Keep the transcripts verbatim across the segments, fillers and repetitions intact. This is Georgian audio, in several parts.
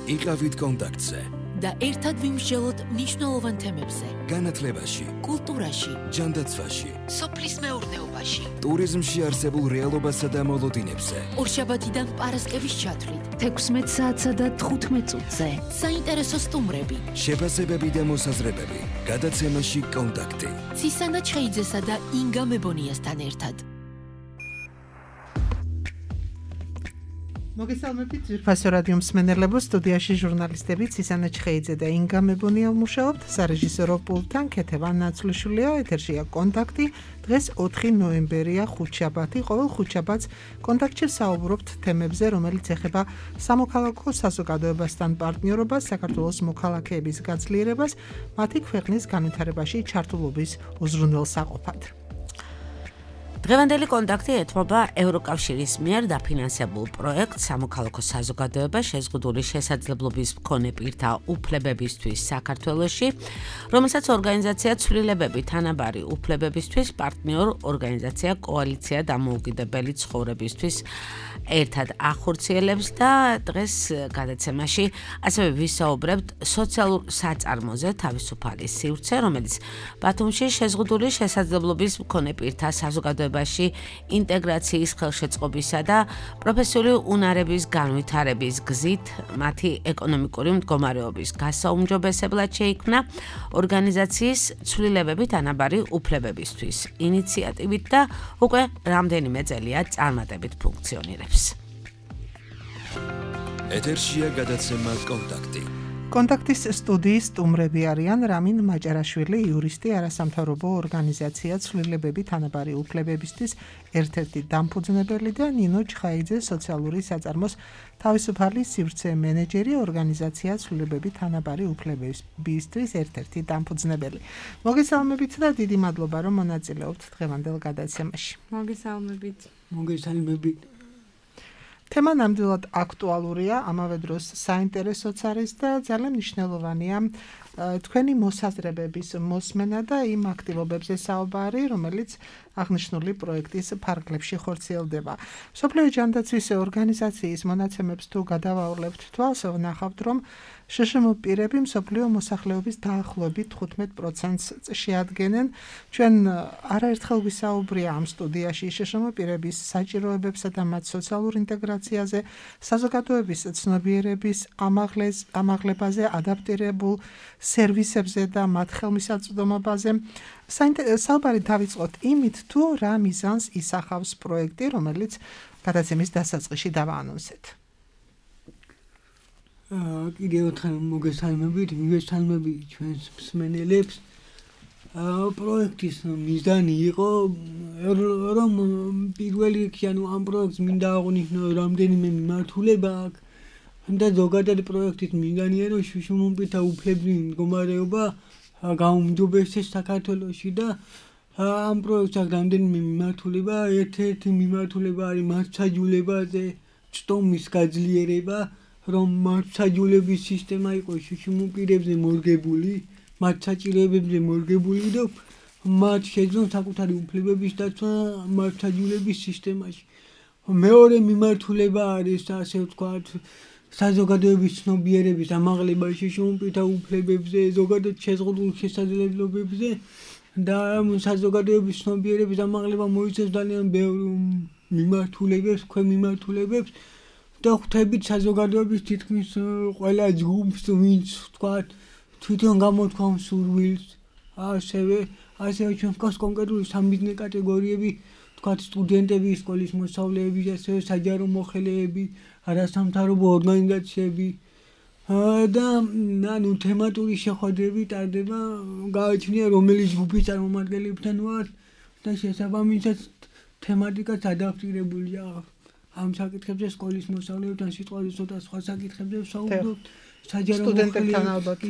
იყავით კონტაქტზე და ერთად ვიმსჯელოთ მნიშვნელოვან თემებზე. განათლებაში, კულტურაში, ჯანდაცვაში, სოფლის მეურნეობაში, ტურიზმში არსებულ რეალობასა და მოლოდინებზე. ორშაბათიდან პარასკევის ჩათვლით, თექვსმეტ საათსა და თხუთმეტ წუთზე. საინტერესო სტუმრები, შეფასებები და მოსაზრებები. გადაცემაში კონტაქტი. ცისანა ჩხეიძესა და ინგა მებონიასთან ერთად. მოგესალმებით ძვირფასო რადიო მსმენელებო, სტუდიაში ჟურნალისტები ცისანა ჩხეიძე და ინგა მებონია ვმუშაობთ, სარეჟისორო პულტთან ქეთევან ნაცვლიშვილია, ეთერშია კონტაქტი. დღეს ოთხი ნოემბერია, ხუთშაბათი, ყოველ ხუთშაბათს კონტაქტში საუბრობთ თემებზე, რომელიც ეხება სამოქალაქო საზოგადოებასთან პარტნიორობას, საქართველოს მოქალაქეების გაძლიერებას, მათი ქვეყნის განვითარებაში ჩართულობის უზრუნველსაყოფად. დღევანდელი კონტაქტი ეთმობა ევროკავშირის მიერ დაფინანსებულ პროექტ სამოქალაქო საზოგადოება შეზღუდული შესაძლებლობის მქონე პირთა უფლებებისთვის საქართველოში, რომელსაც ორგანიზაცია ცვლილებები თანაბარი უფლებებისთვის პარტნიორ ორგანიზაცია კოალიცია დამოუკიდებელი ცხოვრებისთვის ერთად ახორციელებს და დღეს გადაცემაში ასევე ვისაუბრებთ სოციალურ საწარმოზე თავისუფალი სივრცე, რომელიც ბათუმში შეზღუდული შესაძლებლობის მქონე პირთა საზოგადოება ინტეგრაციის ხელშეწყობისა და პროფესიული უნარების განვითარების გზით მათი ეკონომიკური მდგომარეობის გასაუმჯობესებლად შეიქმნა ორგანიზაციის ცვლილებები თანაბარი უფლებებისთვის ინიციატივით და უკვე რამდენიმე წელია წარმატებით ფუნქციონირებს. ეთერშია გადაცემა კონტაქტი. კონტაქტის სტუდიის სტუმრები არიან რამინ მაჭარაშვილი, იურისტი, არასამთავრობო ორგანიზაცია ცვლილებები თანაბარი უფლებებისთვის ერთ-ერთი დამფუძნებელი და ნინო ჩხაიძე, სოციალური საწარმოს თავისუფალი სივრცე მენეჯერი, ორგანიზაცია ცვლილებები თანაბარი უფლებებისთვის ერთ-ერთი დამფუძნებელი. მოგესალმებით და დიდი მადლობა, რომ მონაწილეობთ დღევანდელ გადაცემაში. მოგესალმებით. მოგესალმებით. თემა ნამდვილად აქტუალურია, ამავე დროს საინტერესოც არის და ძალიან მნიშვნელოვანია თქვენი მოსაზრებების მოსმენა და იმ აქტივობებზე საუბარი, რომელიც აღნიშნული პროექტის ფარგლებში ხორციელდება. მსოფლიო ჯანდაცვის ორგანიზაციის მონაცემებს თუ გადავაულებთ თვალს, ვნახავთ, რომ შშმ პირები მსოფლიო მოსახლეობის დაახლოებით თხუთმეტ პროცენტს შეადგენენ. ჩვენ არაერთხელ ვისაუბრია ამ სტუდიაში შშმ პირების საჭიროებებსა და მათ სოციალურ ინტეგრაციაზე, საზოგადოების ცნობიერების ამაღლებაზე, ადაპტირებულ სერვისებზე და მათ ხელმისაწვდომობაზე. საუბარი დავიწყოთ იმით, თუ რა მიზანს ისახავს პროექტი, რომელიც გადაცემის დასაწყისში დავაანონსეთ. კიდევ ერთხელ მოგესალმებით, მივესალმებით ჩვენს მსმენელებს. პროექტის მიზანი იყო, რომ პირველ რიგში ამ პროექტს მინდა აღვნიშნო რამდენიმე მიმართულება აქვს და ზოგადად პროექტის მიზანია, რომ შშმ პირთა უფლებრივი მდგომარეობა გაუმჯობესდეს საქართველოში და ამ პროექტს აქვს რამდენიმე მიმართულება. ერთ-ერთი მიმართულება არის მართლმსაჯულებაზე წტომის გაძლიერება, რომ მართლმსაჯულების სისტემა იყოს შშმ პირებზე მორგებული, მათ საჭიროებებზე მორგებული და მათ შეძლონ საკუთარი უფლებების დაცვა მართლმსაჯულების სისტემაში. მეორე მიმართულება არის, ასე ვთქვათ, საზოგადოების ცნობიერების ამაღლება შშმ პირთა უფლებებზე, ზოგადად შეზღუდულ შესაძლებლობებზე და საზოგადოების ცნობიერების ამაღლება მოიცავს ძალიან ბევრ მიმართულებებს, ქვემიმართულებებს და ხვდებით საზოგადოების თითქმის ყველა ჯგუფს, ვინც ვთქვათ, თვითონ გამოთქვამს სურვილს, ასევე ასევე ჩვენ გვყავს კონკრეტული სამიზნე კატეგორიები, ვთქვათ, სტუდენტები, სკოლის მოსწავლეები, ასევე საჯარო მოხელეები, არასამთავრობო ორგანიზაციები და ანუ თემატური შეხვედრები ტარდება, გააჩნია რომელი ჯგუფის წარმომადგენლებთან ვართ და შესაბამისად თემატიკაც ადაპტირებულია. ამ საკითხებზე სკოლის მოსწავლეებთან სიტყვაზე ცოტა სხვა საკითხებზე ვსაუბრობთ. სტუდენტებთან ალბათ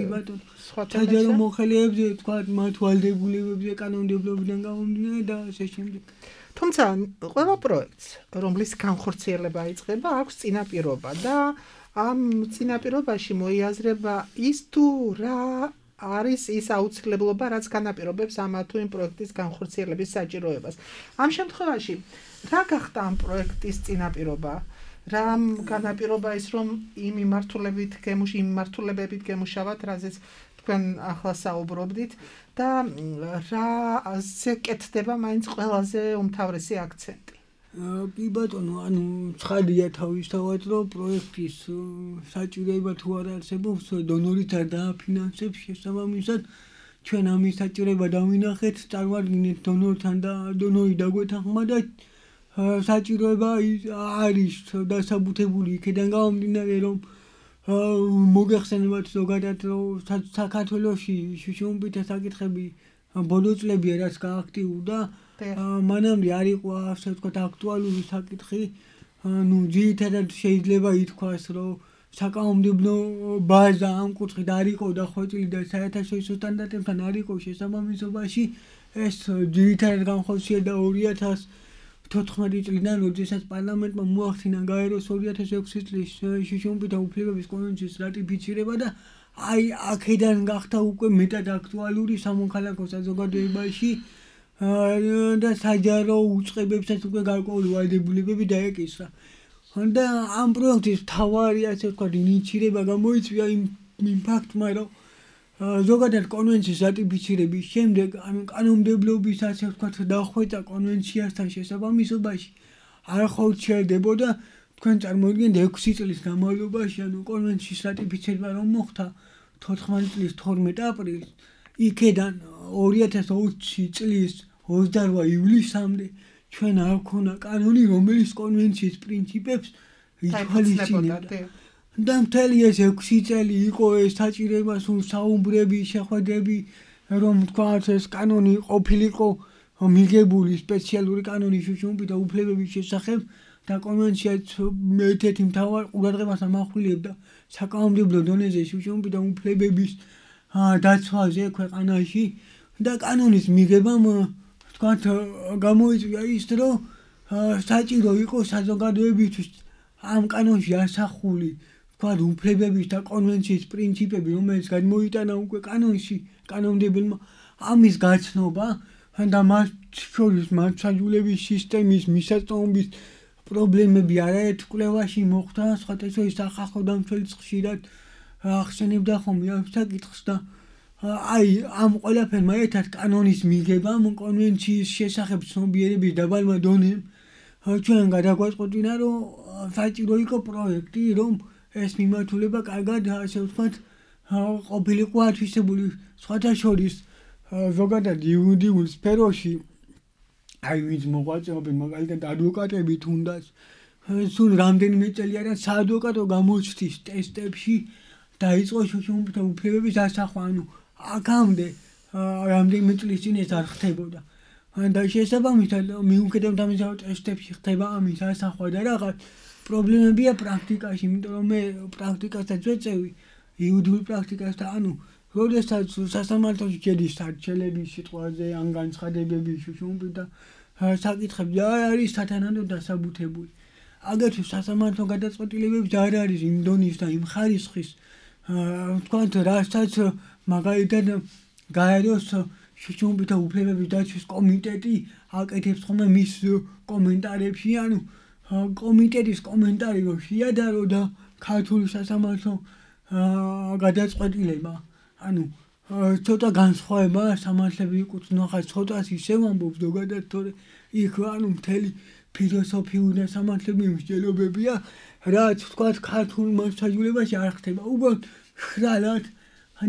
სხვა საჯარო მოხელეებზე, ვთქვათ, მათ ვალდებულებებზე, კანონმდებლობიდან გამომდინარე და ასე შემდეგ. თუმცა ყველა პროექტს, რომლის განხორციელება იწყება, აქვს წინაპირობა და ამ წინაპირობაში მოიაზრება ის თუ რა არის ის აუცილებლობა, რაც განაპირობებს ამ თუ იმ პროექტის განხორციელების საჭიროებას. ამ შემთხვევაში რა გახდა ამ პროექტის წინაპირობა? რამ განაპირობა ის რომ იმ მიმართულებით გემუში იმ მიმართულებებით გემუშავათ, რაზეც თქვენ ახლა საუბრობდით და რაზე კეთდება მაინც ყველაზე უმთავრესი აქცენტი. კი ბატონო, ანუ ცხადია თავისთავად, რომ პროექტის საჭიროება თუ არ არსებობს, დონორით არ დააფინანსებს, შესაბამისად ჩვენ ამის საჭიროება დავინახეთ, წარმოვადგინეთ დონორთან და დონორი დაგვეთანხმა და საჭიროება არის დასაბუთებული იქიდან გამომდინარე, რომ მოგეხსენებათ ზოგადად, რომ საქართველოში შუშუმბითა საკითხები ბოლო წლებია რაც გააქტიურდა, მანამდე არ იყო ასე ვთქვათ აქტუალური საკითხი, ნუ ძირითადად შეიძლება ითქვას, რომ საკანონმდებლო ბაზა ამ კუთხით არ იყო დახვეწილი და საერთაშორისო სტანდარტებთან არ იყო შესაბამისობაში, ეს ძირითადად განხორციელდა ორი ათას თოთხმეტი წლიდან, როდესაც პარლამენტმა მოახდინა გაეროს ორი ათას ექვსი წლის შუშუმბითა უფლებების კონვენციის რატიფიცირება და აი აქედან გახდა უკვე მეტად აქტუალური სამოქალაქო საზოგადოებაში და საჯარო უწყებებსაც უკვე გარკვეული ვალდებულებები დაეკისრა. და ამ პროექტის მთავარი ასე ვთქვათ ინიციირება გამოიწვია იმ ფაქტმა, რომ ზოგადად კონვენციის რატიფიცირების შემდეგ, ანუ კანონმდებლობის ასე ვთქვათ დახვეწა კონვენციასთან შესაბამისობაში არ ხორციელდებოდა, თქვენ წარმოიდგინეთ ექვსი წლის განმავლობაში, ანუ კონვენციის რატიფიცირება რომ მოხდა თოთხმეტი წლის თორმეტ აპრილს, იქედან ორი ათას ოცი წლის ოცდარვა ივლისამდე ჩვენ არ ქონა კანონი, რომელიც კონვენციის პრინციპებს ითვალისწინებდა. და მთელი ეს ექვსი წელი იყო ეს საჭიროება სულ საუბრები, შეხვედრები, რომ თქვათ ეს კანონი ყოფილიყო მიღებული სპეციალური კანონი შუშუმბითა უფლებების შესახებ და კონვენციაც ერთ-ერთი მთავარ ყურადღებას ამახვილებდა საკანონმდებლო დონეზე შუშუმბითა უფლებების დაცვაზე ქვეყანაში და კანონის მიღებამ თქვათ გამოიწვია ის, რომ საჭირო იყო საზოგადოებისთვის ამ კანონში ასახული თქვათ უფლებების და კონვენციის პრინციპები, რომელიც გადმოიტანა უკვე კანონში კანონმდებელმა, ამის გაცნობა და მათ შორის მართლმსაჯულების სისტემის მისაწვდომობის პრობლემები არაერთ კვლევაში მოხდა, სხვათა შორის სახალხო დამცველიც ხშირად ახსენებდა ხოლმე ამ საკითხს და აი ამ ყველაფერმა ერთად კანონის მიღებამ კონვენციის შესახებ ცნობიერების დაბალმა დონემ ჩვენ გადაგვაწყვეტინა, რომ საჭირო იყო პროექტი, რომ ეს მიმართულება კარგად ასე ვთქვათ ყოფილიყო ათვისებული, სხვათა შორის ზოგადად იურიდიულ სფეროში აი ვინც მოღვაწეობენ, მაგალითად ადვოკატები თუნდაც სულ რამდენიმე წელი არა საადვოკატო გამოჩთვის ტესტებში დაიწყო შუშუმბითა უფლებების ასახვა, ანუ აქამდე რამდენიმე წლის წინ ეს არ ხდებოდა. და შესაბამისად მიუხედავად ამისა, რომ ტესტებში ხდება ამის ასახვა და რაღაც პრობლემებია პრაქტიკაში, იმიტომ რომ მე პრაქტიკასაც ვეწევი, იურიდიულ პრაქტიკასთან, ანუ როდესაც სასამართლოში შედის არჩევლების სიტყვაზე ან განცხადებების შუშუმბითა საკითხები არ არის სათანადო დასაბუთებული. აგრეთვე სასამართლო გადაწყვეტილებებს არ არის იმ დონის და იმ ხარისხის თქვათ, რასაც მაგალითად გაეროს შუშუმბითა უფლებების დაცვის კომიტეტი აკეთებს ხოლმე მის კომენტარებში, ანუ კომიტეტის კომენტარი რომ შეადარო და ქართული სასამართლო გადაწყვეტილება, ანუ ცოტა განსხვავება სამართლები იკუთვნო, ხა ცოტას ისევ ამბობს ზოგადად, თორე იქ ანუ მთელი ფილოსოფიური და სამართლები მსჯელობებია, რაც თქვათ ქართულ მასშტაბებაში არ ხდება, უბრალოდ ხრალად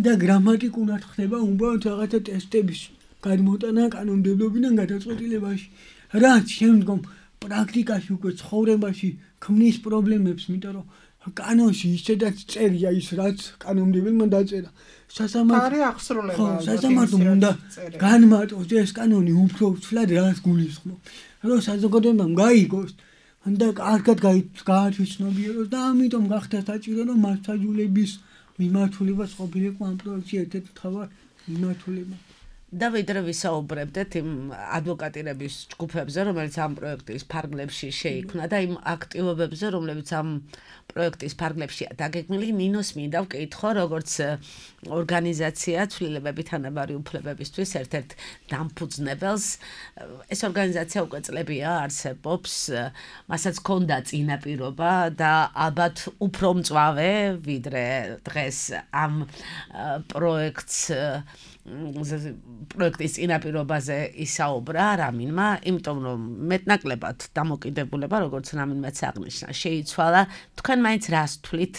და გრამატიკულად ხდება უბრალოდ რაღაცა ტესტების გადმოტანა კანონმდებლობიდან გადაწყვეტილებაში, რაც შემდგომ პრაქტიკაში უკვე ცხოვრებაში ქმნის პრობლემებს, იმიტომ რომ კანონში ისედაც წერია ის, რაც კანონმდებელმა დაწერა. სასამართლო აღსრულება. სასამართლომ უნდა განმარტოს ეს კანონი უფრო ცვლად რას გულისხმობს, რომ საზოგადოებამ გაიგოს და კარგად გაათვისნობიეროს და ამიტომ გახდა საჭირო, რომ მასშტაბების მიმართულებას ყოფილიყო ამ პროექტში ერთ-ერთი მთავარ მიმართულება. და ვიდრე ვისაუბრებდეთ იმ ადვოკატირების ჯგუფებზე, რომელიც ამ პროექტის ფარგლებში შეიქმნა და იმ აქტივობებზე, რომლებიც ამ პროექტის ფარგლებშია დაგეგმილი, ნინოს მინდა ვკითხო, როგორც ორგანიზაცია ცვლილებები თანაბარი უფლებებისთვის ერთ-ერთ დამფუძნებელს. ეს ორგანიზაცია უკვე წლებია არსებობს, მასაც ჰქონდა წინაპირობა და ალბათ უფრო მწვავე, ვიდრე დღეს ამ პროექტს პროექტის წინაპირობაზე ისაუბრა რამინმა, იმიტომ რომ მეტნაკლებად დამოკიდებულება, როგორც რამინმაც აღნიშნა, შეიცვალა. თქვენ მაინც რას თვლით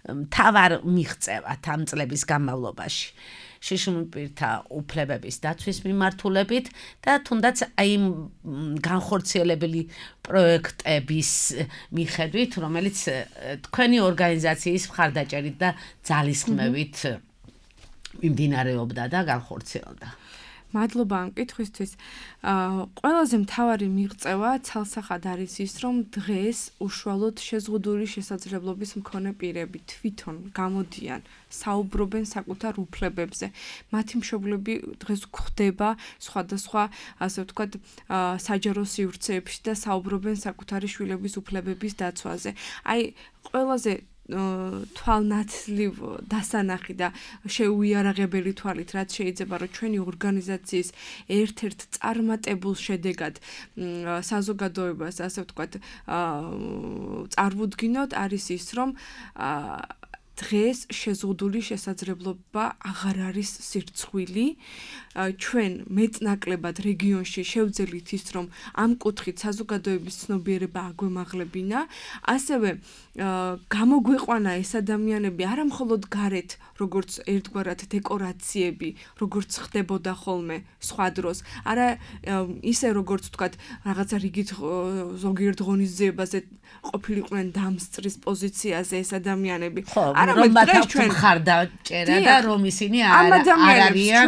მთავარ მიღწევად ამ წლების განმავლობაში შიშუმ პირთა უფლებების დაცვის მიმართულებით და თუნდაც აი იმ განხორციელებელი პროექტების მიხედვით, რომელიც თქვენი ორგანიზაციის მხარდაჭერით და ძალისხმევით მიმდინარეობდა და განხორციელდა. მადლობა ამ კითხვისთვის. ყველაზე მთავარი მიღწევა ცალსახად არის ის, რომ დღეს უშუალოდ შეზღუდული შესაძლებლობის მქონე პირები თვითონ გამოდიან, საუბრობენ საკუთარ უფლებებზე. მათი მშობლები დღეს გვხვდება სხვადასხვა, ასე ვთქვათ, საჯარო სივრცეებში და საუბრობენ საკუთარი შვილების უფლებების დაცვაზე. აი, ყველაზე თვალნათლივ დასანახი და შეუიარაღებელი თვალით, რაც შეიძლება რომ ჩვენი ორგანიზაციის ერთ-ერთ წარმატებულ შედეგად საზოგადოებას, ასე ვთქვათ, წარვუდგინოთ, არის ის, რომ დღეს შეზღუდული შესაძლებლობა აღარ არის სირცხვილი. ჩვენ მეტნაკლებად რეგიონში შევძელით ის, რომ ამ კუთხით საზოგადოების ცნობიერება აგვემაღლებინა, ასევე გამოგვეყვანა ეს ადამიანები არა მხოლოდ გარეთ, როგორც ერთგვარად დეკორაციები, როგორც ხდებოდა ხოლმე სხვა დროს, არა ისე როგორც ვთქვათ, რაღაცა რიგით ზოგიერთ ღონისძიებაზე ყოფილიყვნენ დამსწრის პოზიციაზე ეს ადამიანები. რომ მათ მხარდაჭერა და რომ ისინი არ არიან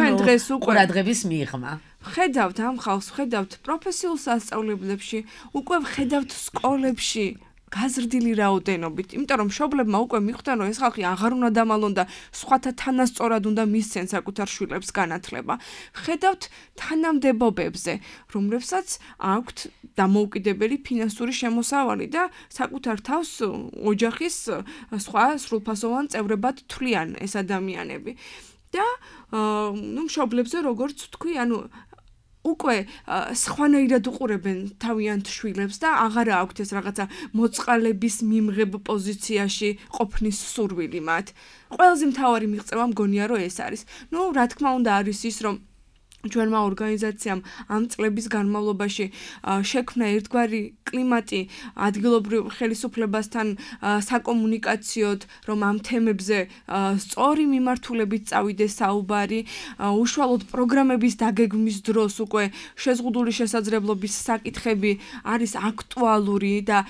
ყურადღების მიღმა. ხედავთ ამ ხალხს, ხედავთ პროფესიულ სასწავლებლებში, უკვე ხედავთ სკოლებში გაზრდილი რაოდენობით, იმიტომ რომ მშობლებმა უკვე მიხვდნენ, რომ ეს ხალხი აღარ უნდა დამალონ და სხვათა თანასწორად უნდა მისცენ საკუთარ შვილებს განათლება. ხედავთ თანამდებობებზე, რომლებსაც აქვთ დამოუკიდებელი ფინანსური შემოსავალი და საკუთარ თავს ოჯახის სხვა სრულფასოვან წევრებად თვლიან ეს ადამიანები. და ნუ მშობლებზე როგორც ვთქვი, ანუ უკვე სხვანაირად უყურებენ თავიანთ შვილებს და აღარ აქვთ ეს რაღაცა მოწყალების მიმღებ პოზიციაში ყოფნის სურვილი მათ. ყველაზე მთავარი მიღწევა მგონია რომ ეს არის. ნუ რა თქმა უნდა არის ის, რომ ჩვენმა ორგანიზაციამ ამ წლების განმავლობაში შექმნა ერთგვარი კლიმატი ადგილობრივ ხელისუფლებასთან საკომუნიკაციოდ, რომ ამ თემებზე სწორი მიმართულებით წავიდეს საუბარი, უშუალოდ პროგრამების დაგეგმვის დროს უკვე შეზღუდული შესაძლებლობის საკითხები არის აქტუალური და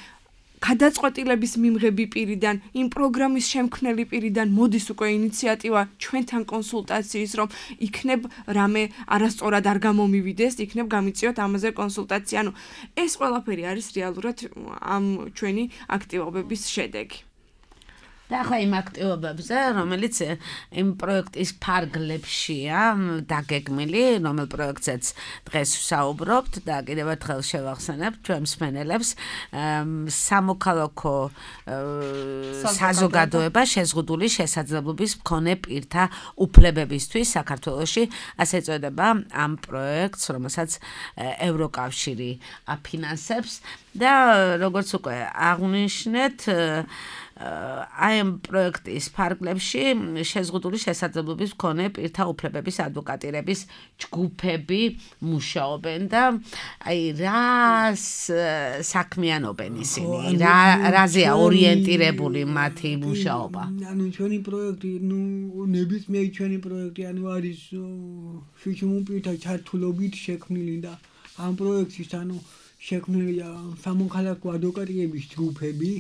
გადაწყვეტილების მიმღები პირიდან, იმ პროგრამის შემქმნელი პირიდან მოდის უკვე ინიციატივა ჩვენთან კონსულტაციის, რომ იქნებ რამე არასწორად არ გამომივიდეს, იქნებ გამიწიოთ ამაზე კონსულტაცია. ანუ ეს ყველაფერი არის რეალურად ამ ჩვენი აქტივობების შედეგი. და ახლა იმ აქტივობებზე, რომელიც იმ პროექტის ფარგლებშია დაგეგმილი, რომელ პროექტზეც დღეს ვსაუბრობთ და კიდევ ერთხელ შევახსენებ ჩვენ მსმენელებს, სამოქალაქო საზოგადოება შეზღუდული შესაძლებლობის მქონე პირთა უფლებებისთვის საქართველოში, ასე ეწოდება ამ პროექტს, რომელსაც ევროკავშირი აფინანსებს და როგორც უკვე აღნიშნეთ, აი ამ პროექტის ფარგლებში შეზღუდული შესაძლებლობის მქონე პირთა უფლებების ადვოკატირების ჯგუფები მუშაობენ და აი რას საქმიანობენ ისინი, რა რაზეა ორიენტირებული მათი მუშაობა? ანუ ჩვენი პროექტი, ნუ ნებისმიერი ჩვენი პროექტი, ანუ არის შიშუმ პირთა ჩართულობით შექმნილი და ამ პროექტის ანუ შექმნილია სამოქალაქო ადვოკატირების ჯგუფები,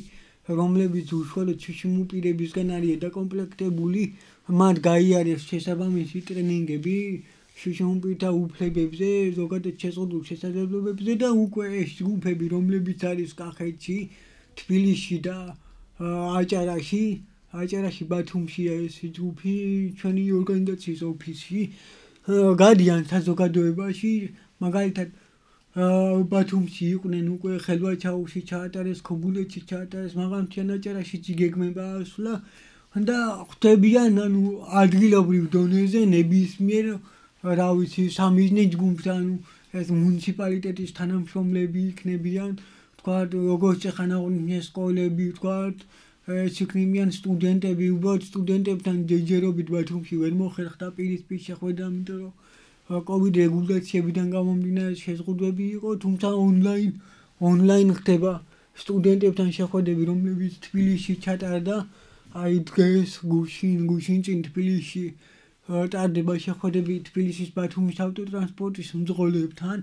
რომლებიც უშუალოდ შიშუმ პირებისგან არის დაკომპლექტებული, მათ გაიარეს შესაბამისი ტრენინგები შიშუმ პირთა უფლებებზე, ზოგადად შეზღუდულ შესაძლებლობებზე და უკვე ეს ჯგუფები, რომლებიც არის კახეთში, თბილისში და აჭარაში, აჭარაში ბათუმშია ეს ჯგუფი, ჩვენი ორგანიზაციის ოფისში, გადიან საზოგადოებაში, მაგალითად ბათუმში იყვნენ უკვე ხელვაჩაუში ჩაატარეს, ქობულეთში ჩაატარეს, მაღალმთიანაჭარაშიც იგეგმება ასვლა და ხვდებიან ანუ ადგილობრივ დონეზე ნებისმიერ რა ვიცი სამიზნე ჯგუფს ანუ ეს მუნიციპალიტეტის თანამშრომლები იქნებიან, თქვათ როგორც წეხანაღმდეგო სკოლები, თქვათ ეს იქნებიან სტუდენტები, უბრალოდ სტუდენტებთან ჯერჯერობით ბათუმში ვერ მოხერხდა პირისპირ შეხვედრა, იმიტომ რომ კოვიდ რეგულაციებიდან გამომდინარე შეზღუდვები იყო, თუმცა ონლაინ ონლაინ ხდება სტუდენტებთან შეხვედრები, რომლებიც თბილისში ჩატარდა, აი დღეს გუშინ, გუშინ წინ თბილისში ტარდება შეხვედრები თბილისის ბათუმის ავტოტრანსპორტის მძღოლებთან,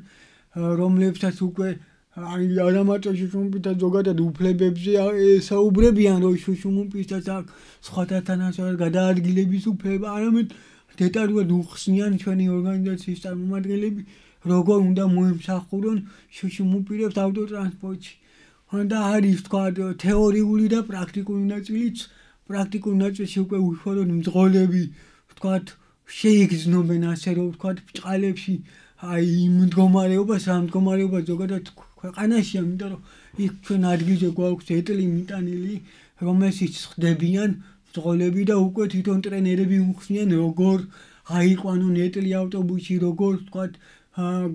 რომლებსაც უკვე აი არა მარტო შუშუმპითა ზოგადად უფლებებზე ესაუბრებიან, რომ შუშუმპისაც აქვს სხვათა თანასწორად გადაადგილების უფლება, არამედ დეტალურად უხსნიან ჩვენი ორგანიზაციის წარმომადგენლები, როგორ უნდა მოემსახურონ შუშუმპირებს ავტოტრანსპორტში. და არის თქვა თეორიული და პრაქტიკული ნაწილიც, პრაქტიკულ ნაწილში უკვე უშუალოდ მძღოლები თქვათ შეიგრძნობენ ასე რომ თქვათ ბჭყალებში აი იმ მდგომარეობას, რა მდგომარეობა ზოგადად ქვეყანაშია, იმიტომ რომ იქ ჩვენ ადგილზე გვაქვს ეტლი მიტანილი, რომელშიც ხდებიან მძღოლები და უკვე თვითონ ტრენერები უხსნიან როგორ აიყვანონ ეტლი ავტობუსში, როგორ თქვათ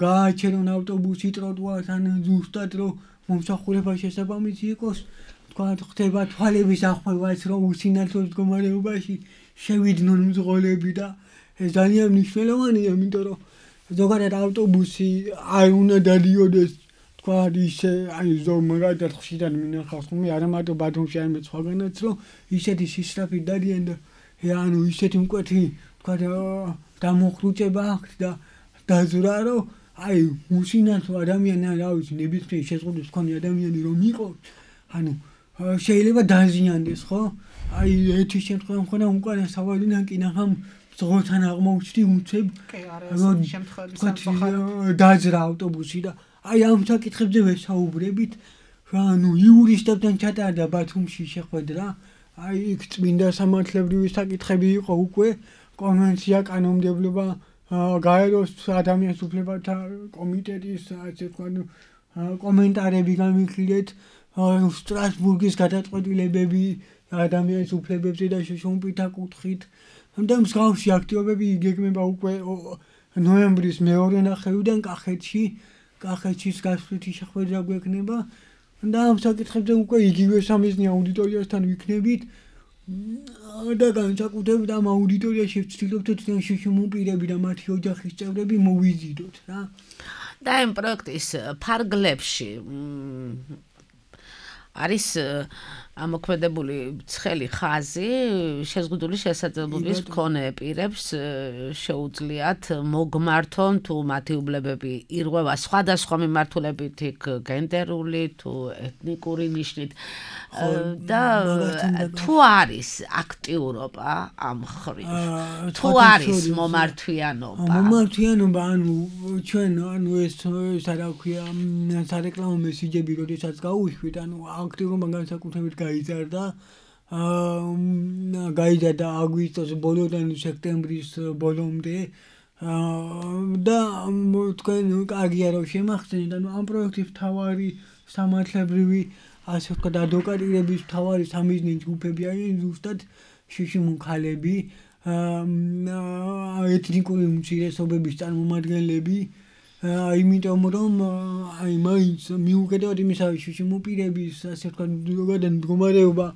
გააჩერონ ავტობუსი ტროტუართან, ზუსტად რომ მომსახურება შესაბამისი იყოს, თქვათ ხდება თვალების ახვევაც, რომ უსინათლო მდგომარეობაში შევიდნენ მძღოლები და ეს ძალიან მნიშვნელოვანია, იმიტომ რომ ზოგადად ავტობუსი არ უნდა დადიოდეს თქვათ ისე აი ზოგ მაგალითად ხშირად მინახავს ხომ არა მარტო ბათუმში, არამედ სხვაგანაც, რომ ისეთი სისწრაფით დადიან და ანუ ისეთი მკვეთი თქვათ დამოხრუჭება აქვს და დაზრა რომ აი უსინათლო ადამიანი რა ვიცი ნებისმიერ შეზღუდვას მქონე ადამიანი რომ იყოს, ანუ შეიძლება დაზიანდეს, ხო? აი ერთი შემთხვევა მქონდა უკანა სავალიდან კი ნახამ ზღოთან აღმოჩნდი უცებ რომ შემთხვევები დაძრა ავტობუსი და აი ამ საკითხებზე ვესაუბრებით, ანუ იურისტებთან ჩატარდა ბათუმში შეხვედრა, აი იქ წმინდა სამართლებრივი საკითხები იყო უკვე, კონვენცია, კანონმდებლობა, გაეროს ადამიანის უფლებათა კომიტეტის ასე ვთქვათ კომენტარები გამიხილეთ, სტრასბურგის გადაწყვეტილებები ადამიანის უფლებებზე და შუშუმპითა კუთხით და მსგავსი აქტივობები იგეგმება უკვე ნოემბრის მეორე ნახევრიდან კახეთში, კახეთში გასვლითი შეხვედრა გვექნება და ამ საკითხებზე უკვე იგივე სამიზნე აუდიტორიასთან ვიქნებით და განსაკუთრებით ამ აუდიტორიაში ვცდილობთ თვითონ შუშუმპირები და მათი ოჯახის წევრები მოვიზიდოთ რა. და ამ პროექტის ფარგლებში არის ამოქმედებული ცხელი ხაზი, შეზღუდული შესაძლებლობის მქონე პირებს შეუძლიათ მოგმართონ თუ მათი უბლებები ირღვევა სხვადასხვა მიმართულებით, იქ გენდერული თუ ეთნიკური ნიშნით და თუ არის აქტიურობა ამ მხრივ, თუ არის მომართვიანობა. მომართვიანობა, ანუ ჩვენ ანუ ეს რა ქვია, სარეკლამო მესიჯები როდესაც გაუშვით, ანუ აქტიურობა განსაკუთრებით გაიზარდა, გაიზარდა აგვისტოს ბოლოდან სექტემბრის ბოლომდე და თქვენ კარგია რომ შემახსენეთ, ანუ ამ პროექტის მთავარი სამართლებრივი ასე ვთქვათ ადვოკატირების მთავარი სამიზნე ჯგუფები არიან ზუსტად შუშუმქალები, ეთნიკური უმცირესობების წარმომადგენლები, იმიტომ რომ აი მაინც მიუხედავად იმისა, რომ შუშუმპირების ასე ვთქვათ ზოგადად მდგომარეობა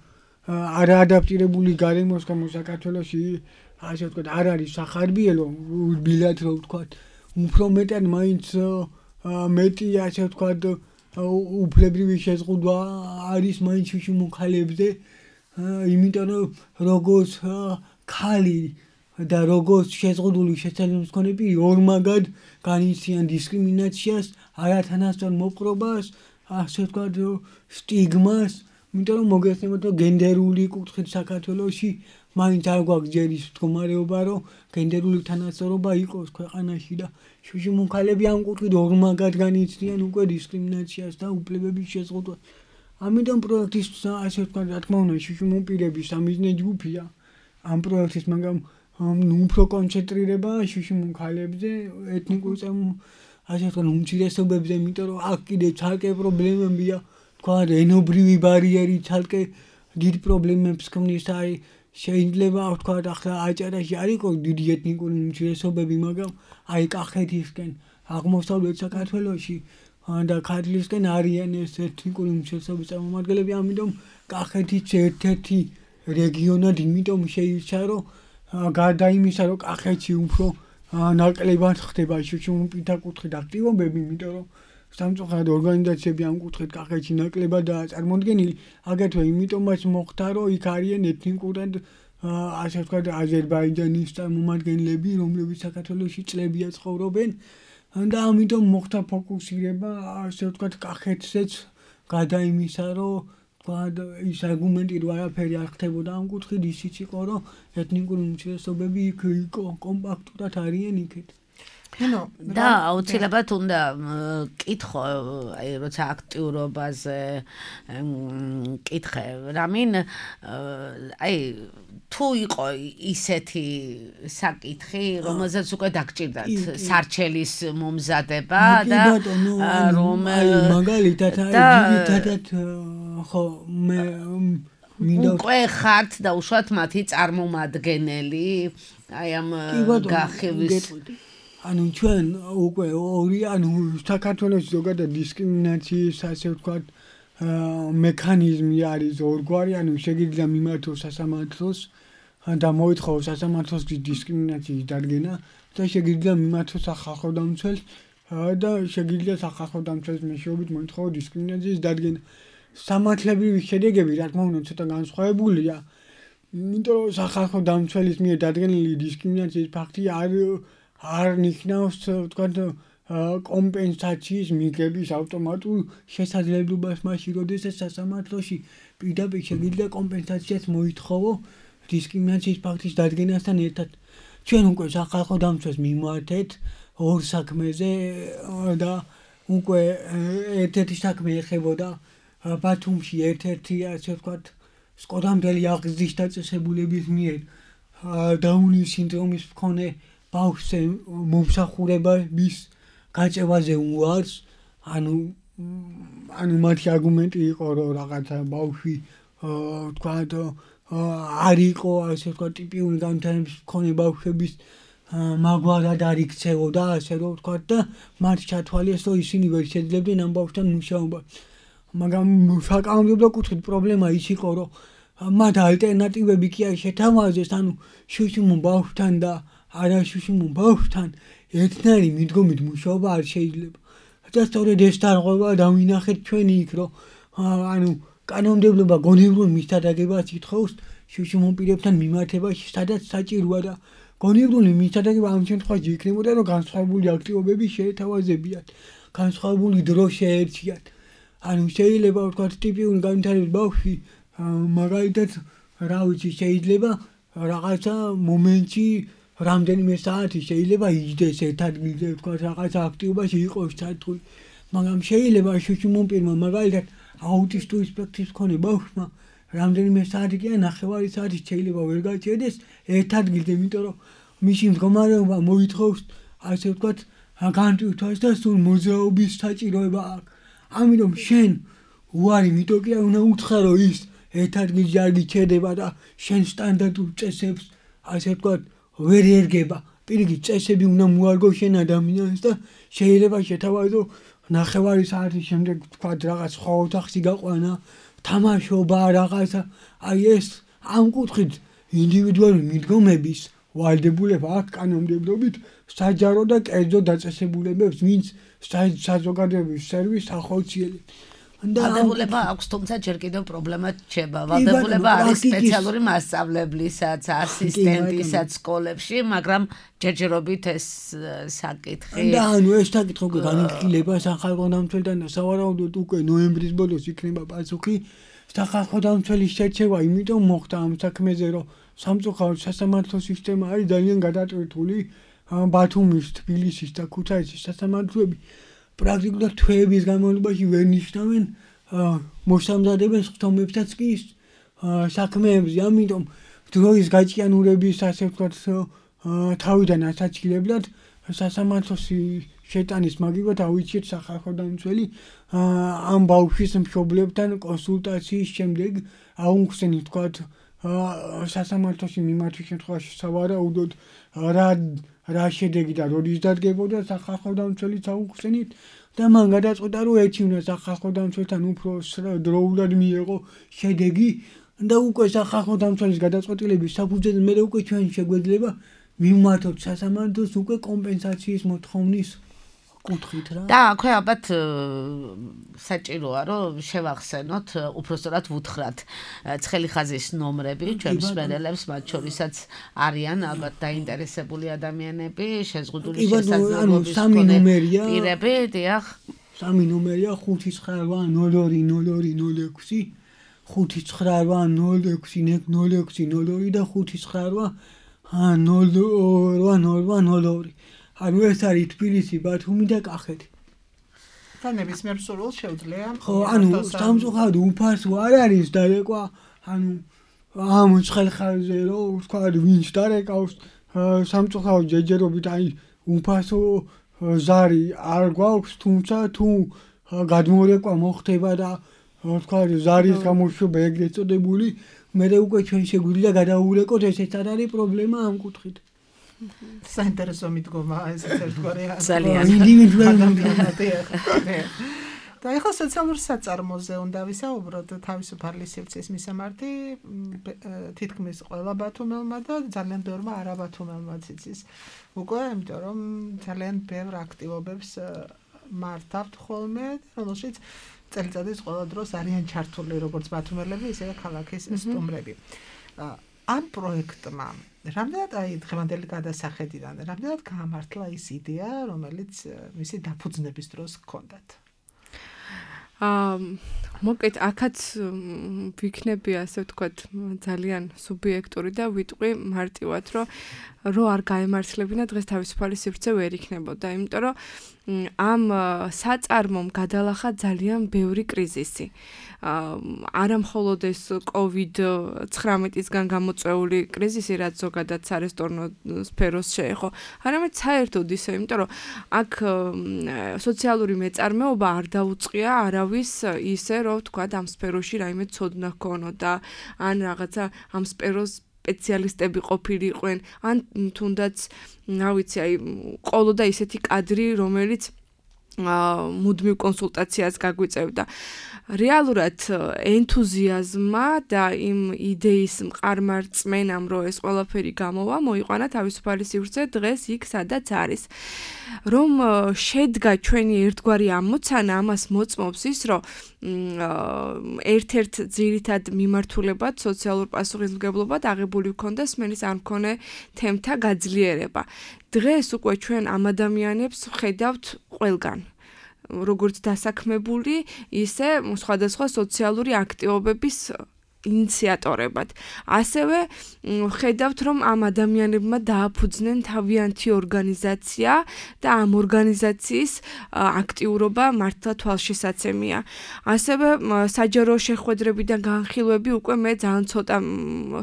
არ ადაპტირებული გარემოსგან საქართველოში ასე ვთქვათ არ არის სახარბიელო, ბილად რომ ვთქვათ, უფრო მეტად მაინც მეტი ასე ვთქვათ უფლებრივი შეზღუდვა არის მაინც შუშუმქალებზე, იმიტომ რომ როგორც ქალი და როგორც შეზღუდული შესაძლებლობის მქონე პირი ორმაგად განიცდიან დისკრიმინაციას, არათანასწორ მოპყრობას, ასე ვთქვათ სტიგმას, იმიტომ რომ მოგეხსენებათ რომ გენდერული კუთხით საქართველოში მაინც არ გვაქვს ჯერ ის მდგომარეობა, რომ გენდერული თანასწორობა იყოს ქვეყანაში და შუშუმქალები ამ კუთხით ორმაგად განიცდიან უკვე დისკრიმინაციას და უფლებების შეზღუდვას. ამიტომ პროექტის ასე ვთქვათ, რა თქმა უნდა, შუშუმპირების სამიზნე ჯგუფია ამ პროექტის, მაგრამ ნუ უფრო კონცენტრირება შუშიმუნ ქალებზე ეთნიკურ წამ ასე თქვა უმცირესობებზე, იმიტომ რომ აქ კიდე ცალკე პრობლემებია, თქვა ენობრივი ბარიერი ცალკე დიდ პრობლემებს ქმნის, აი შეიძლება თქვა ახლა აჭარაში არ იყოს დიდი ეთნიკური უმცირესობები, მაგრამ აი კახეთისკენ, აღმოსავლეთ საქართველოში და ქართლისკენ არიან ეს ეთნიკური უმცირესობების წარმომადგენლები, ამიტომ კახეთიც ერთ-ერთი რეგიონად იმიტომ შეირჩა, რომ გარდა იმისა, რომ კახეთში უფრო ნაკლებად ხდება შუშიმუნ პირდაპირ აქტივობები, იმიტომ რომ სამწუხაროდ ორგანიზაციები ამ კუთხით კახეთში ნაკლებადაა წარმოდგენილი, აგრეთვე იმიტომაც მოხდა, რომ იქ არიან ეთნიკურად ასე ვთქვათ აზერბაიჯანის წარმომადგენლები, რომლებიც საქართველოში წლებია ცხოვრობენ და ამიტომ მოხდა ფოკუსირება ასე ვთქვათ კახეთზეც გარდა იმისა, რომ ის არგუმენტი რომ არაფერი არ ხდებოდა ამ კუთხით, ისიც იყო, რომ ეთნიკური უმცირესობები იქ კომპაქტურად არიან იქეთ. და აუცილებლად უნდა კითხო, აი როცა აქტიურობაზე კითხე, რამინ აი თუ იყო ისეთი საკითხი, რომელზეც უკვე დაგჭირდათ სარჩელის მომზადება და რომ მაგალითად ძირითადად ხო მე უკვე ხართ და უშუალოდ მათი წარმომადგენელი აი ამ გახევის ანუ ჩვენ უკვე ორი ანუ საქართველოს ზოგადად დისკრიმინაციის ასე ვთქვათ მექანიზმი არის ორგვარი, ანუ შეგიძლია მიმართოს სასამართლოს და მოითხოვოს სასამართლოს დისკრიმინაციის დადგენა და შეგიძლია მიმართოს სახალხო დამცველს და შეგიძლია სახალხო დამცველის მეშვეობით მოითხოვოს დისკრიმინაციის დადგენა. სამართლებრივი შედეგები რა თქმა უნდა ცოტა განსხვავებულია, იმიტომ რომ სახალხო დამცველის მიერ დადგენილი დისკრიმინაციის ფაქტი არ არ ნიშნავს ვთქვათ კომპენსაციის მიღების ავტომატურ შესაძლებლობას მაშინ, როდესაც სასამართლოში პირდაპირ შეგიძლია კომპენსაციას მოითხოვო დისკრიმინაციის ფაქტის დადგენასთან ერთად. ჩვენ უკვე სახალხო დამცველს მიმართეთ ორ საქმეზე და უკვე ერთ-ერთი საქმე ეხებოდა ბათუმში ერთ-ერთი ასე ვთქვათ სკოდამდელი აღზრდის დაწესებულების მიერ დაუნის სინდრომის მქონე ბავშვზე მომსახურების გაწევაზე უარს, ანუ ანუ მათი არგუმენტი იყო, რომ რაღაცა ბავშვი ვთქვათ არ იყო ასე ვთქვათ ტიპიური განვითარების მქონე ბავშვების მაგვარად არ იქცეოდა, ასე რომ ვთქვათ და მათ ჩათვალეს, რომ ისინი ვერ შეძლებდნენ ამ ბავშვთან მუშაობა. მაგრამ საკანონმდებლო კუთხით პრობლემა ის იყო, რომ მათ ალტერნატივები კი არ შეთავაზეს, ანუ შუშიმუნ ბავშვთან და არა შუშიმუნ ბავშვთან ერთნაირი მიდგომით მუშაობა არ შეიძლება. და სწორედ ეს დარღვევა დავინახეთ ჩვენ იქ, რომ ანუ კანონმდებლობა გონივრულ მისთადაგებას ითხოვს შუშიმუნ პირებთან მიმართებაში, სადაც საჭიროა და გონივრული მისთადაგება ამ შემთხვევაში იქნებოდა, რომ განსხვავებული აქტივობები შეეთავაზებიათ, განსხვავებული დრო შეერჩიათ. ანუ შეიძლება ვთქვათ ტიპიური განვითარების ბავშვი მაგალითად რა ვიცი შეიძლება რაღაცა მომენტში რამდენიმე საათი შეიძლება იჯდეს ერთ ადგილზე, ვთქვათ რაღაცა აქტივობაში იყოს ჩართული, მაგრამ შეიძლება შუშიმუნ პირმა მაგალითად აუტისტური სპექტრის მქონე ბავშვმა რამდენიმე საათი კი ნახევარი საათი შეიძლება ვერ გაჩერდეს ერთ ადგილზე, იმიტომ რომ მისი მდგომარეობა მოითხოვს ასე ვთქვათ განტვირთვას და სულ მოძრაობის საჭიროება აქვს. ამიტომ შენ უარი მიტო კი არ უნდა უთხრა, რომ ის ერთ ადგილზე არ გიჩერდება და შენ სტანდარტულ წესებს ასე ვთქვათ ვერ ერგება. პირიქით წესები უნდა მოარგო შენ ადამიანს და შეიძლება შეთავაზო ნახევარი საათის შემდეგ ვთქვათ რაღაც სხვა ოთახში გაყვანა, თამაშობა რაღაცა. აი ეს ამ კუთხით ინდივიდუალური მიდგომების ვალდებულება აქვს კანონმდებლობით საჯარო და კერძო დაწესებულებებს, ვინც საზოგადოების სერვისს ახორციელებს. ვალდებულება აქვს, თუმცა ჯერ კიდევ პრობლემა რჩება. ვალდებულება არის სპეციალური მასწავლებლისაც, ასისტენტისაც სკოლებში, მაგრამ ჯერჯერობით ეს საკითხი და ანუ ეს საკითხი უკვე განიხილება სახალხო დამცველთან და სავარაუდოდ უკვე ნოემბრის ბოლოს იქნება პასუხი. სახალხო დამცველის შერჩევა იმიტომ მოხდა ამ საქმეზე, რომ სამწუხაროდ სასამართლო სისტემა არის ძალიან გადატვირთული. ბათუმის, თბილისის და ქუთაისის სასამართლოები პრაქტიკულად თვეების განმავლობაში ვერ ნიშნავენ მოსამზადებელ სხდომებსაც კი საქმეებზე. ამიტომ დროის გაჭიანურების ასე ვთქვათ თავიდან ასაჩილებლად სასამართლოში შეტანის მაგივრად ავიჩეთ სახალხო დამცველი ამ ბავშვის მშობლებთან კონსულტაციის შემდეგ აუხსენით ვთქვათ სასამართლოში მიმართვის შემთხვევაში სავარაუდოდ რა რა შედეგი და როდის დადგებოდა სახალხო დამცველიც აუხსენით და მან გადაწყვიტა რომ ერთი უნდა სახალხო დამცველთან უფრო დროულად მიეღო შედეგი და უკვე სახალხო დამცველის გადაწყვეტილების საფუძველზე მე უკვე ჩვენ შეგვეძლება მივმართოთ სასამართლოს უკვე კომპენსაციის მოთხოვნის კუთხით რა. და აქვე ალბათ საჭიროა რომ შევახსენოთ, უпростоრად ვუთხრათ ცხელი ხაზის ნომრები ჩვენ მსმენელებს, მათ შორისაც არიან ალბათ დაინტერესებული ადამიანები, შეზღუდული შესაძლებლობის მქონე პირები, დიახ. სამი ნომერია ხუთი ცხრა რვა ნოლ ორი ნოლ ორი ნოლ ექვსი, ხუთი ცხრა რვა ნოლ ექვსი ნოლ ექვსი ნოლ ორი და ხუთი ცხრა რვა ნოლ რვა ნოლ რვა ნოლ ორი. ანუ ეს არის თბილისი, ბათუმი და კახეთი. და ნებისმიერ სურვილს შეუძლია. ხო, ანუ სამწუხაროდ უფასო არ არის დარეკვა, ანუ ამ ცხელხაზე რომ ვთქვა ვინც დარეკავს სამწუხაროდ ჯეჯერობით აი უფასო ზარი არ გვაქვს, თუმცა თუ გადმორეკვა მოხდება და ვთქვა ზარის გამოშვება ეგრეთ წოდებული, მე უკვე ჩვენ შეგვიძლია გადავურეკოთ, ესეც არ არის პრობლემა ამ კუთხით. საინტერესო მიდგომა ეს ერთგვარი ძალიან ინდივიდუალური და ახლა სოციალურ საწარმოზე უნდა ვისაუბროთ თავისუფალი სივრცის მისამართი თითქმის ყველა ბათუმელმა და ძალიან ბევრმა არაბათუმელმაც იცის უკვე იმიტომ რომ ძალიან ბევრ აქტივობებს მართავთ ხოლმე რომელშიც წელიწადის ყველა დროს არიან ჩართული როგორც ბათუმელები ისევე ქალაქის სტუმრები ამ პროექტმა რამდენად აი დღევანდელი გადასახედიდან რამდენად გაამართლა ის იდეა რომელიც მისი დაფუძნების დროს ჰქონდათ აა მოკეთ აქაც ვიქნები ასე ვთქვათ ძალიან სუბიექტური და ვიტყვი მარტივად რომ რო არ გაემართლებინა დღეს თავისუფალი სივრცე ვერ იქნებოდა იმიტომ რომ ამ საწარმომ გადალახა ძალიან ბევრი კრიზისი არა მხოლოდ ეს კოვიდ ცხრამეტისგან გამოწვეული კრიზისი რაც ზოგადად სარესტორნო სფეროს შეეხო არამედ საერთოდ ისე იმიტომ რომ აქ სოციალური მეწარმეობა არ დაუწყია არავის ისე რომ თქვა ამ სფეროში რაიმე ცოდნა ჰქონოდა ან რაღაცა ამ სფეროს სპეციალისტები ყოფილიყვენ ან თუნდაც რა ვიცი აი ყოლოდა ისეთი კადრი რომელიც მუდმივ კონსულტაციას გაგვიწევდა რეალურად ენთუზიაზმა და იმ იდეის მყარ-მარწმენამ რომ ეს ყველაფერი გამოვა მოიყვანა თავისუფალი სივრცე დღეს იქ სადაც არის რომ შედგა ჩვენი ერთგვარი ამოცანა ამას მოწმობს ის რომ ერთ-ერთ ძირითად მიმართულებად სოციალურ პასუხისმგებლობად აღებული ჰქონდა სმენის არ მქონე თემთა გაძლიერება დღეს უკვე ჩვენ ამ ადამიანებს ხედავთ ყველგან როგორც დასაქმებული ისე სხვადასხვა სოციალური აქტივობების ინიციატორებად. ასევე ხედავთ რომ ამ ადამიანებმა დააფუძნენ თავიანთი ორგანიზაცია და ამ ორგანიზაციის აქტიურობა მართლა თვალშისაცემია. ასევე საჯარო შეხვედრებიდან განხილვები უკვე მე ძალიან ცოტა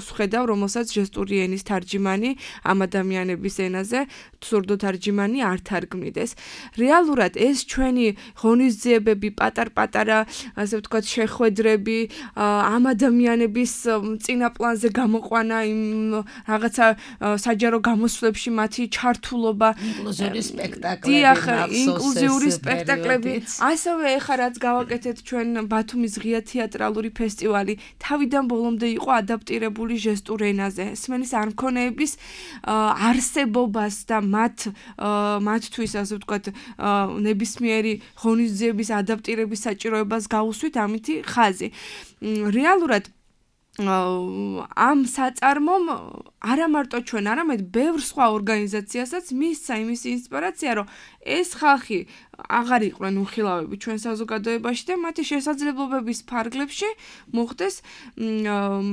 ვხედავ რომელსაც ჟესტური ენის თარჯიმანი ამ ადამიანების ენაზე სურდო თარჯიმანი არ თარგმნიდეს. რეალურად ეს ჩვენი ღონისძიებები პატარ-პატარა ასე ვთქვათ შეხვედრები ამ ადამიანების წინა პლანზე გამოყვანა იმ რაღაცა საჯარო გამოსვლებში მათი ჩართულობა ინკლუზიური სპექტაკლები დიახ ინკლუზიური სპექტაკლები ასევე ეხლა რაც გავაკეთეთ ჩვენ ბათუმის ღია თეატრალური ფესტივალი თავიდან ბოლომდე იყო ადაპტირებული ჟესტურ ენაზე სმენის არ მქონეების არსებობას და მათ მათთვის ასე ვთქვათ ნებისმიერი ღონისძიების ადაპტირების საჭიროებას გაუსვით ამითი ხაზი რეალურად ამ საწარმომ არა მარტო ჩვენ, არამედ ბევრ სხვა ორგანიზაციასაც მისცა იმის ინსპირაცია, რომ ეს ხალხი აღარ იყვნენ უხილავები ჩვენ საზოგადოებაში და მათი შესაძლებლობების ფარგლებში მოხდეს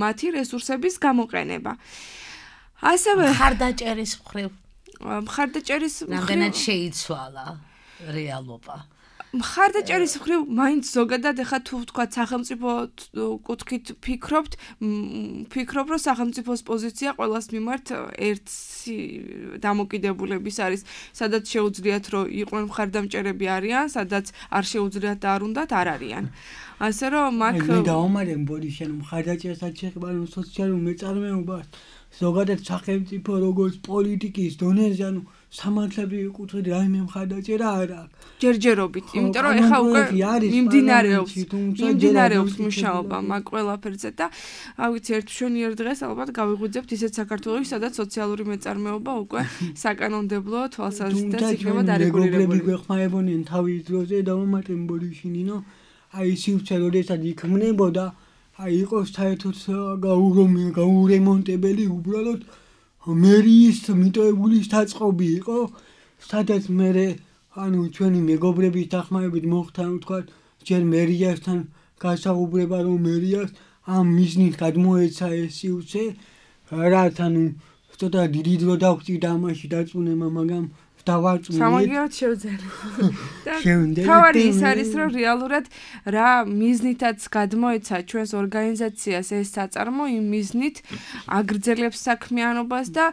მათი რესურსების გამოყენება. ასევე მხარდაჭერის მხრივ მხარდაჭერის რამდენად შეიცვალა რეალობა. მხარდაჭერის მხრივ მაინც ზოგადად ეხა თუ ვთქვა სახელმწიფო კუთხით ფიქრობთ, ფიქრობ რომ სახელმწიფოს პოზიცია ყველას მიმართ ერთი დამოკიდებულების არის, სადაც შეუძლიათ რომ იყვნენ მხარდამჭერები არიან, სადაც არ შეუძლიათ და არ უნდათ არ არიან. ასე რომ მაგ მე დავამარემ ბოდიშენ მხარდაჭერსაც შეხება სოციალურ მეწარმეობას, ზოგადად სახელმწიფო როგორც პოლიტიკის დონეზე, ანუ სამართლებრივი კუთხით რაიმე მხარდაჭერა არ აქვს. ჯერჯერობით, იმიტომ რომ ეხა უკვე მიმდინარეობს, მიმდინარეობს მუშაობა მაგ ყველაფერზე და ავიცი ერთ მშვენიერ დღეს ალბათ გავიღვიძებთ ისეთ საქართველოში, სადაც სოციალური მეწარმეობა უკვე საკანონმდებლო თვალსაზრისით იქნება დარეგულირებული. მეგობრები გვეხმარებოდნენ თავის დროზე დავამატებთ ბოდიშინინო, აი სივრცე როდესაც იქმნებოდა, აი იყოს საერთოდ გაურემონტებელი უბრალოდ მერიის მიტოვებული საწყობი იყო, სადაც მე ანუ ჩვენი მეგობრების დახმარებით მოხდა თქვა ჯერ მერიასთან გასაუბრება რომ მერიას ამ მიზნით გადმოეცა ეს სივრცე, რაც ანუ ცოტა დიდი დრო დავწივდა ამაში დაწუნება, მაგრამ დავაწუნეთ. სამაგიეროდ შევძელი. თავარი ის არის რომ რეალურად რა მიზნითაც გადმოეცა ჩვენს ორგანიზაციას ეს საწარმო, იმ მიზნით აგრძელებს საქმიანობას და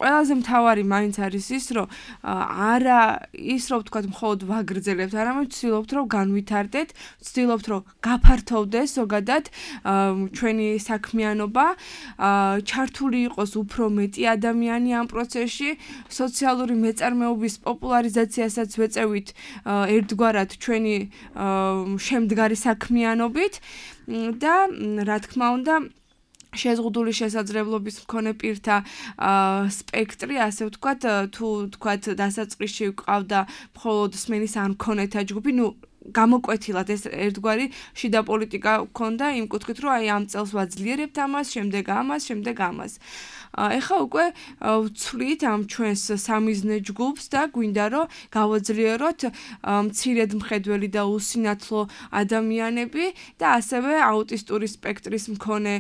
ყველაზე მთავარი მაინც არის ის რომ არა ის რომ ვთქვათ მხოლოდ ვაგრძელებთ, არამედ ვცდილობთ რომ განვითარდეთ, ვცდილობთ რომ გაფართოვდეს ზოგადად ჩვენი საქმიანობა, ჩართული იყოს უფრო მეტი ადამიანი ამ პროცესში, სოციალური მეწარმეობის პოპულარიზაციასაც ვეწევით ერთგვარად ჩვენი შემდგარი საქმიანობით და რა თქმა უნდა შეზღუდული შესაძლებლობის მქონე პირთა სპექტრი, ასე ვთქვათ, თუ ვთქვათ დასაწყისში ვყავდა მხოლოდ სმენის არ მქონეთა ჯგუფი, ნუ გამოკვეთილად ეს ერთგვარი შიდა პოლიტიკა გქონდა იმ კუთხით, რომ აი ამ წელს ვაძლიერებთ ამას, შემდეგ ამას, შემდეგ ამას. ეხა უკვე ვცვლით ამ ჩვენს სამიზნე ჯგუფს და გვინდა რომ გავაძლიეროთ მცირედ მხედველი და უსინათლო ადამიანები და ასევე აუტისტური სპექტრის მქონე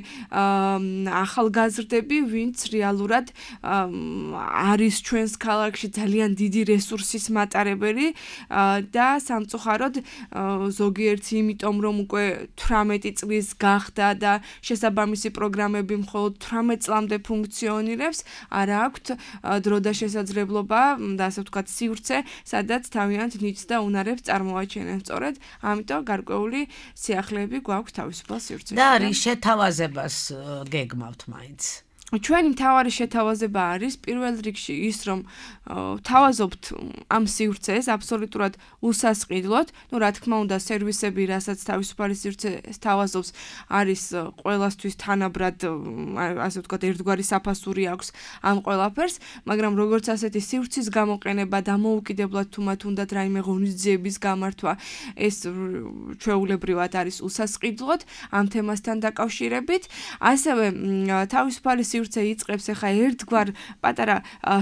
ახალგაზრდები, ვინც რეალურად არის ჩვენს ქალაქში ძალიან დიდი რესურსის მატარებელი და სამწუხაროდ ზოგიერთი იმიტომ რომ უკვე თვრამეტი წლის გახდა და შესაბამისი პროგრამები მხოლოდ თვრამეტ წლამდე ფუნქციონირებს, არა აქვთ დრო და შესაძლებლობა და ასე ვთქვათ სივრცე, სადაც თავიანთ ნიჭს და უნარებს წარმოაჩენენ. სწორედ ამიტომ გარკვეული სიახლეები გვაქვს თავისუფალ სივრცეში. და რის შეთავაზებას გეგმავთ მაინც? ჩვენი მთავარი შეთავაზება არის პირველ რიგში ის, რომ თავაზობთ ამ სივრცეს აბსოლუტურად უსასყიდლოდ, ну, რა თქმა უნდა, სერვისები, რასაც თავისუფალი სივრცე თავაზობს, არის ყველასთვის თანაბრად, ასე ვთქვათ, ერთგვარი საფასური აქვს ამ ყველაფერს, მაგრამ როგორც ასეთი სივრცის გამოყენება, დამოუკიდებლად თუ მათ უნდათ რაიმე ღონისძიების გამართვა, ეს ჩვეულებრივად არის უსასყიდლოდ ამ თემასთან დაკავშირებით, ასევე თავისუფალი სივრცე იწყებს ახლა ერთგვარ პატარა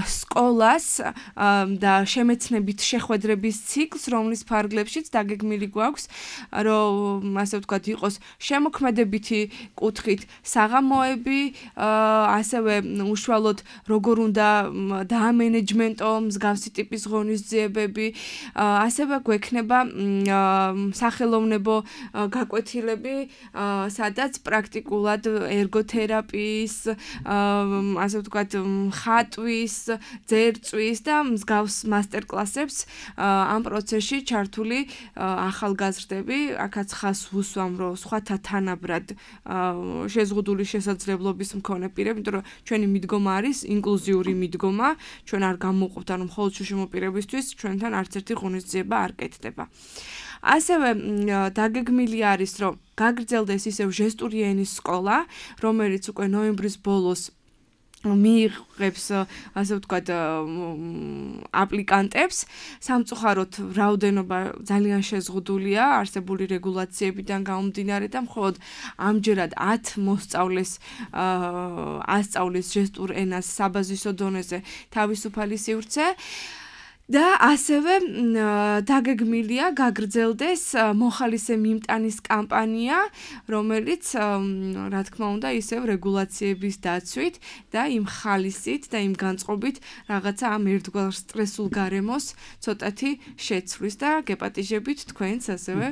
სკოლას და შემეცნებით შეხვედრების ციკლს, რომლის ფარგლებშიც დაგეგმილი გვაქვს, რომ ასე ვთქვათ, იყოს შემოქმედებითი კუთხით საღამოები, ასევე უშუალოდ როგორ უნდა დაამენეჯმენტო მსგავსი ტიპის ღონისძიებები, ასევე გვექნება სახელოვნებო გაკვეთილები, სადაც პრაქტიკულად ერგოთერაპიის, ასე ვთქვათ, ხატვის, ძერწვის და მსგავს მასტერკლასებს ამ პროცესში ჩართული ახალგაზრდები, აქაც ხას ვუსვამ, რომ სხვათა თანაბრად შეზღუდული შესაძლებლობის მქონე პირები, იმიტომ რომ ჩვენი მიდგომა არის ინკლუზიური მიდგომა, ჩვენ არ გამოვყოფთ, ანუ მხოლოდ შუშიმო პირებისთვის ჩვენთან არც ერთი ღონისძიება არ კეთდება. ასევე დაგეგმილი არის, რომ გაგრძელდეს ისევ ჟესტური ენის სკოლა, რომელიც უკვე ნოემბრის ბოლოს მიიღებს, ასე ვთქვათ, აპლიკანტებს. სამწუხაროდ რაოდენობა ძალიან შეზღუდულია არსებული რეგულაციებიდან გამომდინარე და მხოლოდ ამჯერად ათ მოსწავლეს ასწავლის ჟესტურ ენას საბაზისო დონეზე თავისუფალი სივრცე. და ასევე დაგეგმილია გაგრძელდეს მოხალისე მიმტანის კამპანია, რომელიც რა თქმა უნდა ისევ რეგულაციების დაცვით და იმ ხალისით და იმ განწყობით რაღაცა ამ ერთგვარ სტრესულ გარემოს ცოტათი შეცვლის და გეპატიჟებით თქვენს ასევე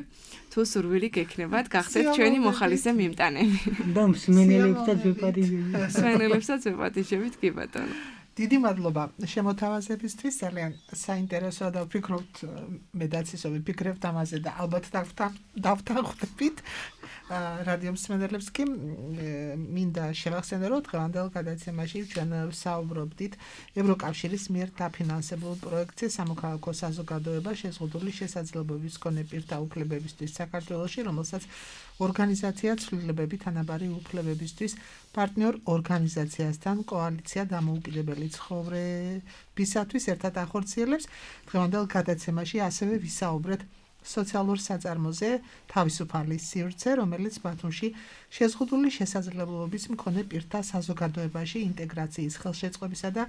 თუ სურვილი გექნებათ გახდეთ ჩვენი მოხალისე მიმტანები. და მსმენელებსაც ვეპატიჟებით. მსმენელებსაც ვეპატიჟებით კი ბატონო. დიდი მადლობა შემოთავაზებისთვის, ძალიან საინტერესოა და ვფიქრობთ, მედაც ისე ვიფიქრებთ ამაზე და ალბათ დავთანხმდებით. რადიო მსმენელებს კი მინდა შევახსენო, რომ დღევანდელ გადაცემაში ჩვენ საუბრობდით ევროკავშირის მიერ დაფინანსებულ პროექტზე სამოქალაქო საზოგადოება შეზღუდული შესაძლებლობების მქონე პირთა უფლებებისთვის საქართველოში, რომელსაც ორგანიზაცია ცვლილებები თანაბარი უფლებებისთვის პარტნიორ ორგანიზაციასთან კოალიცია დამოუკიდებელი ცხოვრებისათვის ერთად ახორციელებს. დღევანდელ გადაცემაში ასევე ვისაუბრეთ სოციალურ საწარმოზე თავისუფალი სივრცე, რომელიც ბათუმში შეზღუდული შესაძლებლობების მქონე პირთა საზოგადოებაში ინტეგრაციის ხელშეწყობისა და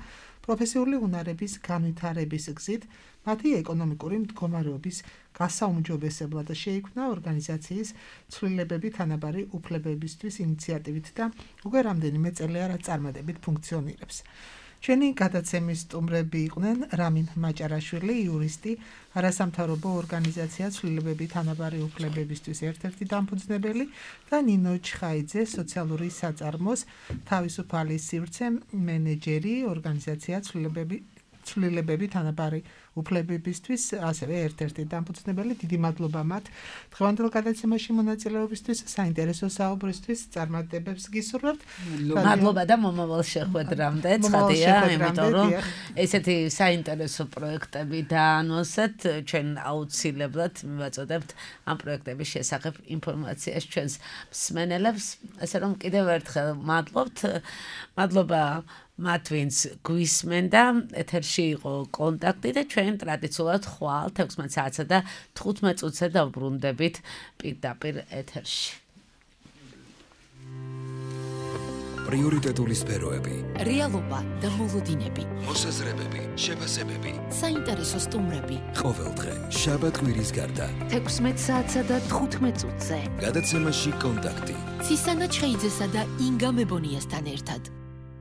პროფესიული უნარების განვითარების გზით მათი ეკონომიკური მდგომარეობის გასაუმჯობესებლად შეიქმნა ორგანიზაციის ცვლილებები თანაბარი უფლებებისთვის ინიციატივით და უკვე რამდენიმე წელია რა წარმატებით ფუნქციონირებს. ჩვენი გადაცემის სტუმრები იყვნენ რამინ მაჭარაშვილი, იურისტი, არასამთავრობო ორგანიზაცია ცვლილებები თანაბარი უფლებებისთვის ერთ-ერთი დამფუძნებელი და ნინო ჩხაიძე, სოციალური საწარმოს თავისუფალი სივრცე მენეჯერი, ორგანიზაცია ცვლილებები ცვლილებები თანაბარი უფლებებისთვის ასევე ერთ-ერთი დამფუძნებელი. დიდი მადლობა მათ დღევანდელ გადაცემაში მონაწილეობისთვის, საინტერესო საუბრისთვის, წარმატებებს გისურვებთ. მადლობა და მომავალ შეხვედრამდე, ცხადია, იმიტომ რომ ესეთი საინტერესო პროექტები დაანონსეთ, ჩვენ აუცილებლად მივაწოდებთ ამ პროექტების შესახებ ინფორმაციას ჩვენს მსმენელებს, ასე რომ კიდევ ერთხელ მადლობთ. მადლობა მათ ვინც გვისმენდა, ეთერში იყო კონტაქტი და ჩვენ ტრადიციულად ხვალ თექვსმეტ საათსა და თხუთმეტ წუთზე დავბრუნდებით პირდაპირ ეთერში. პრიორიტეტული სფეროები, რეალობა და მოლოდინები, მოსაზრებები, შეფასებები, საინტერესო სტუმრები. ყოველდღე შაბათ-კვირის გარდა თექვსმეტ საათსა და თხუთმეტ წუთზე. გადაცემაში კონტაქტი. ცისანა ჩხეიძესა და ინგა მებონიასთან ერთად.